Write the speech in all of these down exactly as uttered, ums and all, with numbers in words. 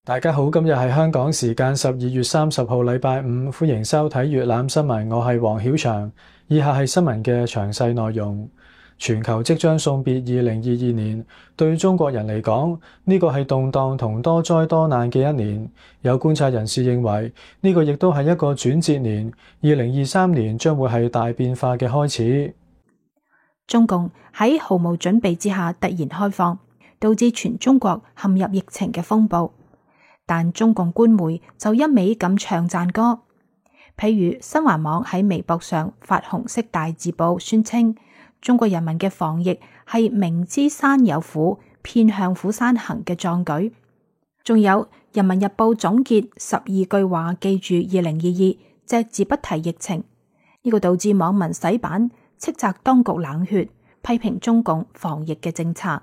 大家好，今日係香港時間十二月三十號禮拜五，歡迎收睇粵覽新聞，我係黃曉翔。以下係新聞嘅詳細內容。全球即將送別二零二二年，對中國人嚟講，呢個係動盪同多災多難嘅一年。有觀察人士認為，呢個亦都係一個轉折年，二零二三年將會係大變化嘅開始。中共喺毫無準備之下突然開放，導致全中國陷入疫情嘅風暴。但中共官媒就一味咁唱讚歌，譬如新華網喺微博上發紅色大字報宣稱，中國人民嘅防疫係明知山有虎，偏向虎山行嘅壯舉。仲有人民日報總結十二句話，記住二零二二，隻字不提疫情。呢個導致網民洗版，斥責當局冷血，批評中共防疫嘅政策。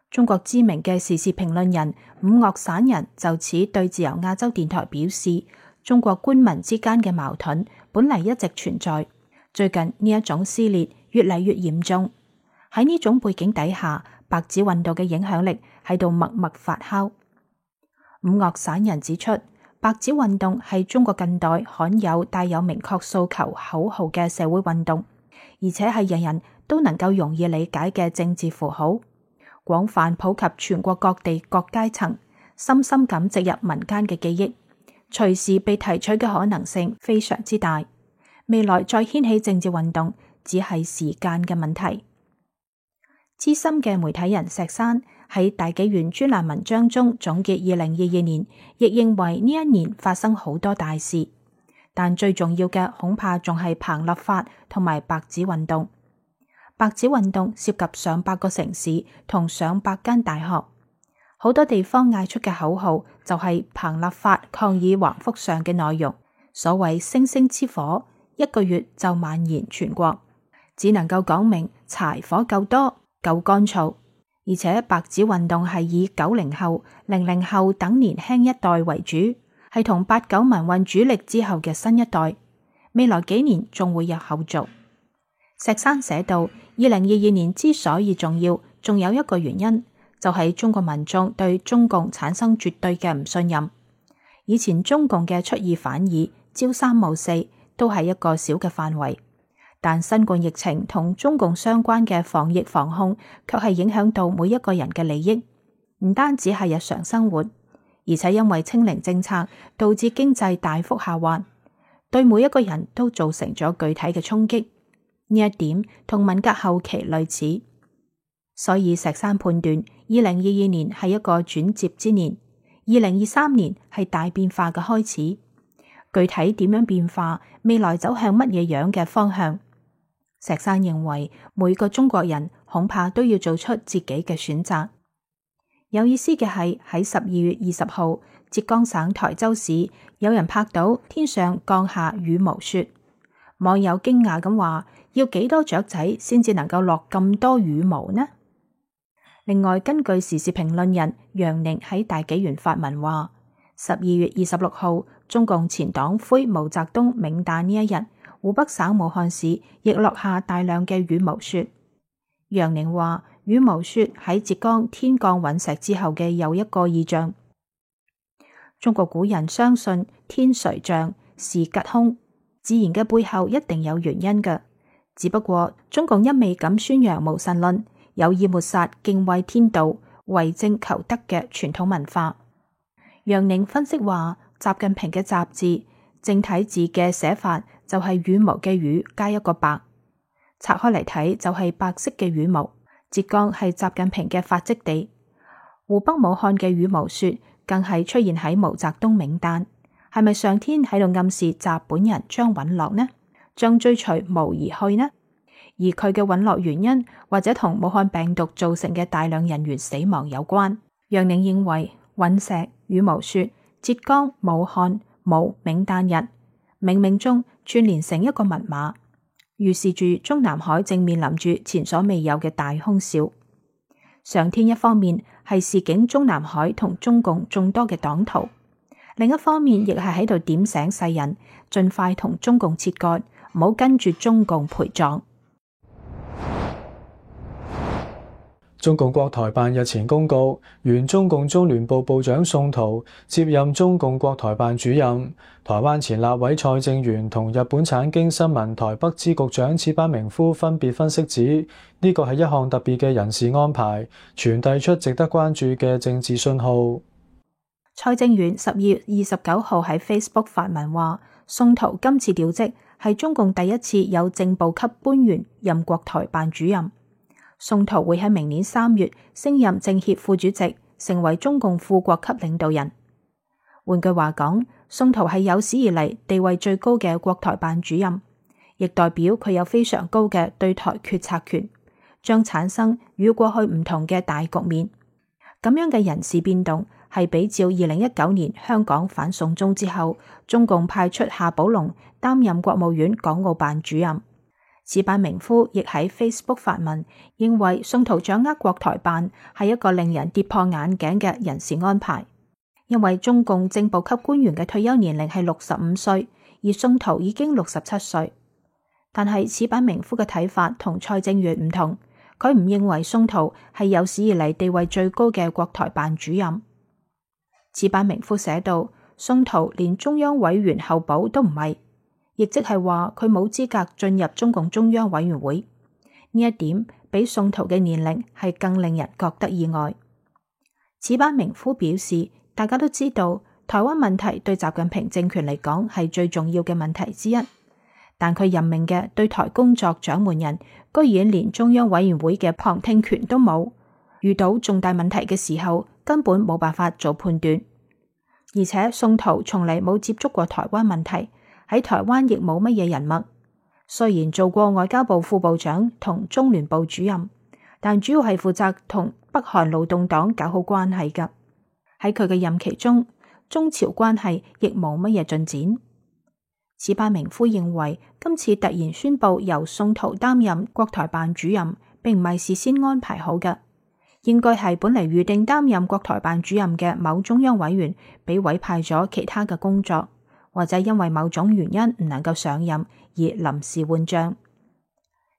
中國知名嘅時事評論人伍岳散人就此對自由亞洲電台表示，中國官民之間嘅矛盾本嚟一直存在，最近呢一種撕裂越嚟越嚴重。喺呢種背景底下，白紙運動嘅影響力喺度默默發酵。伍岳散人指出，白紙運動係中國近代罕有帶有明確訴求口號嘅社會運動，而且係人人都能夠容易理解嘅政治符號，廣泛普及全國各地各階層，深深咁植入民間嘅記憶，隨時被提取嘅可能性非常之大。未來再掀起政治運動，只係時間嘅問題。資深嘅媒體人石山喺大紀元專欄文章中總結二零二二年，亦認為呢一年發生好多大事，但最重要嘅恐怕仲係彭立法同埋白紙運動。白紙運動涉及上百個城市同上百間大學，好多地方嗌出嘅口號就係彭立法抗議橫幅上嘅內容。所謂星星之火，一個月就蔓延全國，只能夠講明柴火夠多夠乾燥。而且白紙運動係以九零後、零零後等年輕一代為主，係同八九民運主力之後嘅新一代，未來幾年仲會有後續。石山寫道，二零二二年之所以重要，仲有一個原因，就係中國民眾對中共產生絕對嘅唔信任。以前中共嘅出爾反爾、朝三暮四都係一個小嘅範圍，但新冠疫情同中共相關嘅防疫防控，卻係影響到每一個人嘅利益，唔單止係日常生活，而且因為清零政策導致經濟大幅下滑，對每一個人都造成咗具體嘅衝擊。呢一點同文革後期類似，所以石山判斷二零二二年係一個轉折之年，二零二三年係大變化嘅開始。具體點樣變化，未來走向乜嘢樣嘅方向，石山認為每個中國人恐怕都要做出自己嘅選擇。有意思嘅係喺十二月二十號，浙江省台州市有人拍到天上降下羽毛雪，網友驚訝咁話，要幾多雀仔先至能夠落咁多羽毛呢？另外，根據時事評論人楊寧喺大紀元發文話，十二月二十六號，中共前黨魁毛澤東冥誕呢一日，湖北省武漢市亦落下大量嘅羽毛雪。楊寧話，羽毛雪喺浙江天降隕石之後嘅又一個異象。中國古人相信天垂象，事吉凶，自然嘅背後一定有原因嘅。只不過中共一味咁宣揚無神論，有意抹殺敬畏天道、為政求得嘅傳統文化。楊寧分析話，習近平嘅習字正體字嘅寫法就係羽毛嘅羽加一個白，拆開嚟睇就係白色嘅羽毛。浙江係習近平嘅發跡地，湖北武漢嘅羽毛雪更係出現喺毛澤東冥誕，係咪上天喺度暗示習本人將隕落呢？將追隨毛而去呢？而佢嘅隕落原因或者同武漢病毒造成嘅大量人員死亡有關。楊寧認為隕石、羽毛雪、浙江、武漢、毛冥誕日，冥冥中串聯成一個密碼，預示住中南海正面臨住前所未有嘅大空襲。上天一方面係示警中南海同中共眾多嘅黨徒，另一方面亦係喺度點醒世人，盡快同中共切割，唔好跟住中共陪葬。中共國台辦日前公告，原中共中聯部部長宋濤接任中共國台辦主任。台灣前立委蔡正元同日本產經新聞台北支局長矢板明夫分別分析指，呢個係一項特別嘅人事安排，傳遞出值得關注嘅政治信號。蔡正元十二月二十九號喺 Facebook 發文話，宋濤今次調職係中共第一次有正部級官員任國台辦主任。宋濤會喺明年三月升任政協副主席，成為中共副國級領導人。換句話講，宋濤係有史以嚟地位最高嘅國台辦主任，亦代表佢有非常高嘅對台決策權，將產生與過去唔同嘅大局面。咁樣嘅人事變動係比照二零一九年香港反送中之後，中共派出夏寶龍擔任國務院港澳辦主任。矢板明夫亦喺 Facebook 發文，認為宋濤掌握國台辦係一個令人跌破眼鏡嘅人事安排，因為中共正部級官員嘅退休年齡係六十五歲，而宋濤已經六十七歲。但係矢板明夫嘅睇法同蔡正元唔同，佢唔認為宋濤係有史以嚟地位最高嘅國台辦主任。矢板明夫寫道，宋濤連中央委員候補都唔係，亦即係話佢冇資格進入中共中央委員會。呢一點比宋濤嘅年齡係更令人覺得意外。矢板明夫表示，大家都知道台灣問題對習近平政權嚟講係最重要嘅問題之一，但佢任命嘅對台工作掌門人居然連中央委員會嘅旁聽權都冇，遇到重大問題嘅時候根本冇辦法做判斷。而且宋濤從嚟冇接觸過台灣問題，喺台灣亦冇乜嘢人脈。雖然做過外交部副部長同中聯部主任，但主要係負責同北韓勞動黨搞好關係㗎。喺佢嘅任期中，中朝關係亦冇乜嘢進展。矢板明夫認為，今次突然宣布由宋濤擔任國台辦主任，並唔係事先安排好嘅，應該係本嚟預定擔任國台辦主任嘅某中央委員被委派咗其他嘅工作，或者因為某種原因唔能夠上任而臨時換將。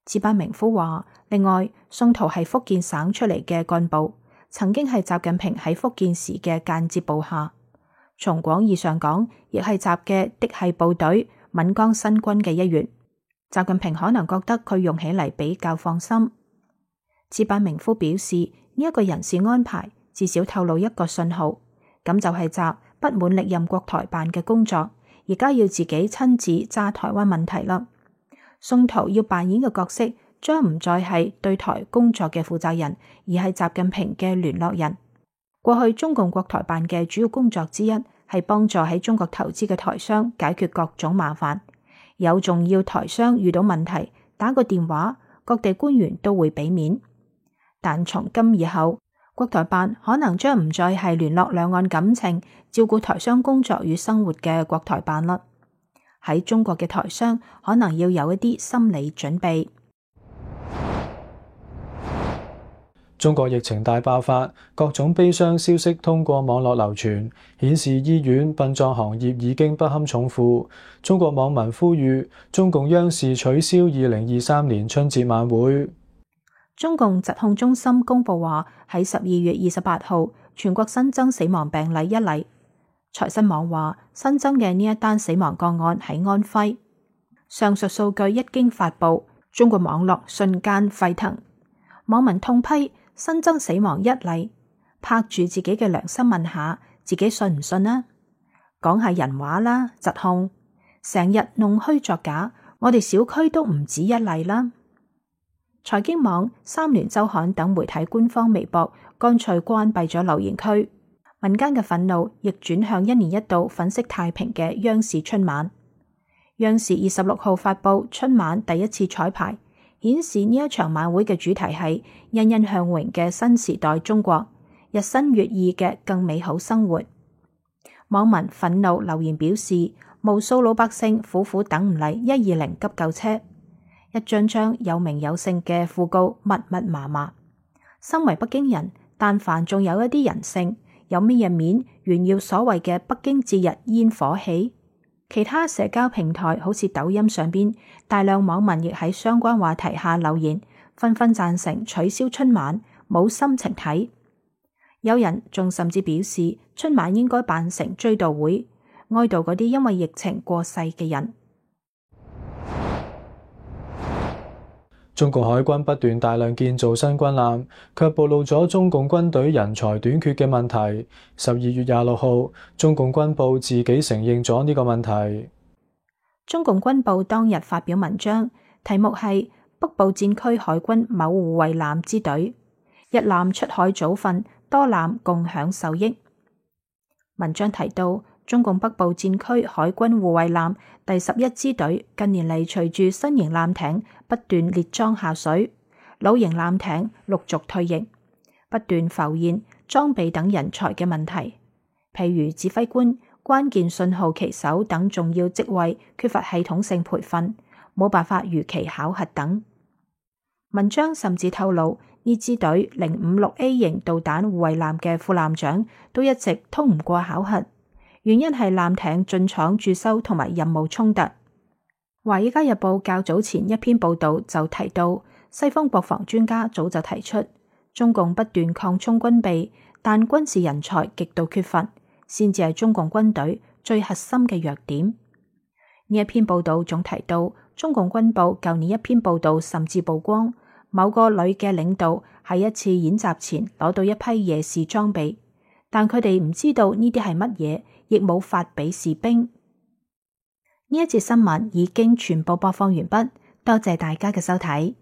矢板明夫話，另外，宋濤係福建省出嚟嘅幹部，曾經係習近平喺福建時嘅間接部下，從廣義上講，亦係習嘅嫡系部隊閩江新軍嘅一員。習近平可能覺得佢用起嚟比較放心。矢板明夫表示，呢一個人事安排至少透露一個信號，咁就係習不滿歷任國台辦嘅工作，而家要自己親自揸台灣問題啦。宋濤要扮演嘅角色將唔再係對台工作嘅負責人，而係習近平嘅聯絡人。過去中共國台辦嘅主要工作之一係幫助喺中國投資嘅台商解決各種麻煩，有重要台商遇到問題打個電話，各地官員都會俾面。但從今以後，國台辦可能將唔再係聯絡兩岸感情、照顧台商工作與生活嘅國台辦啦。喺中國嘅台商可能要有一啲心理準備。中國疫情大爆發，各種悲傷消息通過網絡流傳，顯示醫院、殯葬行業已經不堪重負。中國網民呼籲中共央視取消二零二三年春節晚會。中共疾控中心公布話，喺十二月二十八號，全國新增死亡病例一例。財新網話，新增嘅呢一單死亡個案喺安徽。上述數據一經發布，中國網絡瞬間沸騰，網民痛批新增死亡一例，拍住自己嘅良心問下，自己信唔信啊？講下人話啦，疾控成日弄虛作假，我哋小區都唔止一例啦。財經網、三聯週刊等媒體官方微博乾脆關閉咗留言區，民間嘅憤怒亦轉向一年一度粉飾太平嘅央視春晚。央視二十六號發布春晚第一次彩排，顯示呢一場晚會嘅主題係欣欣向榮嘅新時代中國，日新月異嘅更美好生活。網民憤怒留言表示，無數老百姓苦苦等唔嚟一二零急救車，一張張有名有姓嘅訃告密密麻麻。身為北京人，但凡仲有一啲人性，有乜嘢面炫耀所謂嘅北京節日煙火氣？其他社交平台好似抖音上邊，大量網民亦喺相關話題下留言，紛紛贊成取消春晚，冇心情睇。有人仲甚至表示，春晚應該辦成追悼會，哀悼嗰啲因為疫情過世嘅人。中共海軍不斷大量建造新軍艦，卻暴露咗中共軍隊人才短缺嘅問題。十二月廿六號，中共軍報自己承認咗呢個問題。中共軍報當日發表文章，題目係北部戰區海軍某護衛艦之隊，一艦出海早訓，多艦共享受益。文章提到，中共北部戰區海軍護衛艦第十一支隊近年嚟，隨住新型艦艇不斷列裝下水，老型艦艇陸續退役，不斷浮現裝備等人才嘅問題，譬如指揮官、關鍵信號旗手等重要職位缺乏系統性培訓，冇辦法如期考核等。文章甚至透露，呢支隊零五六 A 型導彈護衛艦嘅副艦長都一直通唔過考核，原因係艦艇進廠駐修同埋任務衝突。華爾街日報較早前一篇報道就提到，西方國防專家早就提出，中共不斷擴充軍備，但軍事人才極度缺乏，先至係中共軍隊最核心嘅弱點。呢一篇報道仲提到，中共軍報舊年一篇報道甚至曝光，某個旅嘅領導喺一次演習前攞到一批夜視裝備，但佢哋唔知道呢啲係乜嘢，亦冇發俾士兵。呢一節新聞已經全部播放完畢，多謝大家嘅收睇。